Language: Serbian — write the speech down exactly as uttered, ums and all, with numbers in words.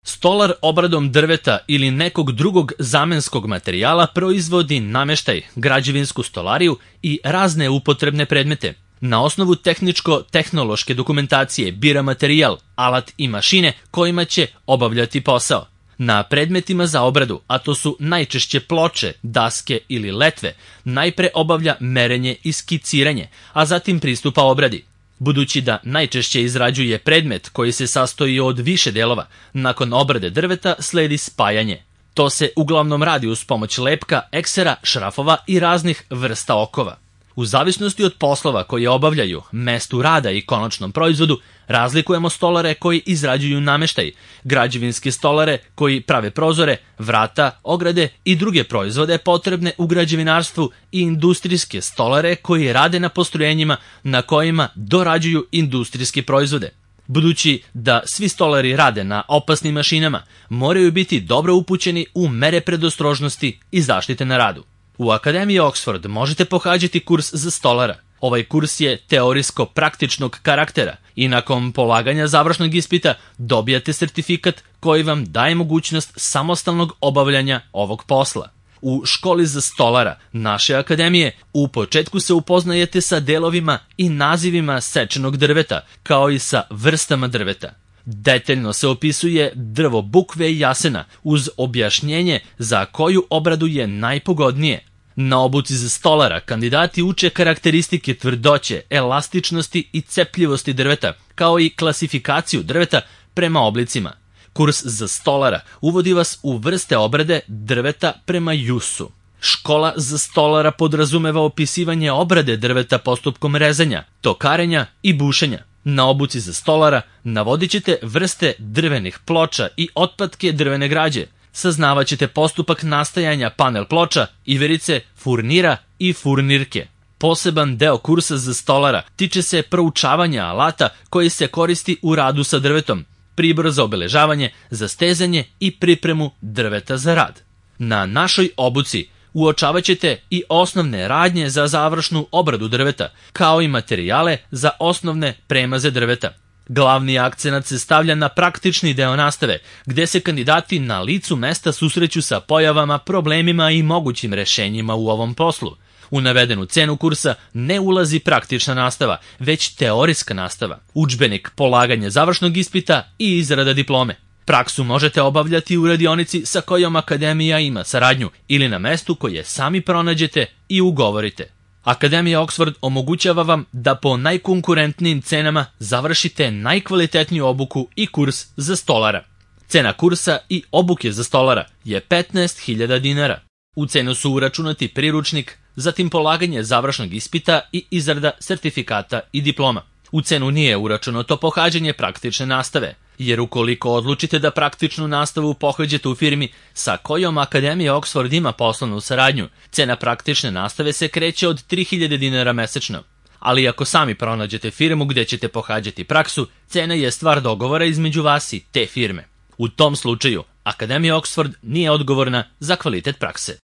Stolar obradom drveta ili nekog drugog zamenskog materijala proizvodi nameštaj, građevinsku stolariju i razne upotrebne predmete. Na osnovu tehničko-tehnološke dokumentacije bira materijal, alat i mašine kojima će obavljati posao. Na predmetima za obradu, a to su najčešće ploče, daske ili letve, najpre obavlja merenje i skiciranje, a zatim pristupa obradi. Budući da najčešće izrađuje predmet koji se sastoji od više delova, nakon obrade drveta sledi spajanje. To se uglavnom radi uz pomoć lepka, eksera, šrafova i raznih vrsta okova. U zavisnosti od poslova koje obavljaju, mestu rada i konačnom proizvodu, razlikujemo stolare koji izrađuju nameštaj, građevinske stolare koji prave prozore, vrata, ograde i druge proizvode potrebne u građevinarstvu i industrijske stolare koji rade na postrojenjima na kojima dorađuju industrijske proizvode. Budući da svi stolari rade na opasnim mašinama, moraju biti dobro upućeni u mere predostrožnosti i zaštite na radu. U Akademiji Oxford možete pohađati kurs za stolara. Ovaj kurs je teorijsko-praktičnog karaktera i nakon polaganja završnog ispita dobijate sertifikat koji vam daje mogućnost samostalnog obavljanja ovog posla. U školi za stolara naše akademije u početku se upoznajete sa delovima i nazivima sečenog drveta, kao i sa vrstama drveta. Detaljno se opisuje drvo bukve i jasena uz objašnjenje za koju obradu je najpogodnije. Na obuci za stolara kandidati uče karakteristike tvrdoće, elastičnosti i cepljivosti drveta, kao i klasifikaciju drveta prema oblicima. Kurs za stolara uvodi vas u vrste obrade drveta prema jusu. Škola za stolara podrazumeva opisivanje obrade drveta postupkom rezanja, tokarenja i bušenja. Na obuci za stolara navodit ćete vrste drvenih ploča i otpadke drvene građe. Saznavat ćete postupak nastajanja panel ploča, iverice, furnira i furnirke. Poseban deo kursa za stolara tiče se proučavanja alata koji se koristi u radu sa drvetom, pribor za obeležavanje, za stezanje i pripremu drveta za rad. Na našoj obuci uočavat ćete i osnovne radnje za završnu obradu drveta, kao i materijale za osnovne premaze drveta. Glavni akcenat se stavlja na praktični deo nastave, gde se kandidati na licu mesta susreću sa pojavama, problemima i mogućim rešenjima u ovom poslu. U navedenu cenu kursa ne ulazi praktična nastava, već teorijska nastava, udžbenik, polaganje završnog ispita i izrada diplome. Praksu možete obavljati u radionici sa kojom akademija ima saradnju ili na mestu koje sami pronađete i ugovorite. Akademija Oxford omogućava vam da po najkonkurentnijim cenama završite najkvalitetniju obuku i kurs za stolara. Cena kursa i obuke za stolara je petnaest hiljada dinara. U cenu su uračunati priručnik, zatim polaganje završnog ispita i izrada sertifikata i diploma. U cenu nije uračunato pohađanje praktične nastave, jer ukoliko odlučite da praktičnu nastavu pohađate u firmi sa kojom Akademija Oxford ima poslovnu saradnju, cena praktične nastave se kreće od tri hiljade dinara mesečno. Ali ako sami pronađete firmu gde ćete pohađati praksu, cena je stvar dogovora između vas i te firme. U tom slučaju, Akademija Oxford nije odgovorna za kvalitet prakse.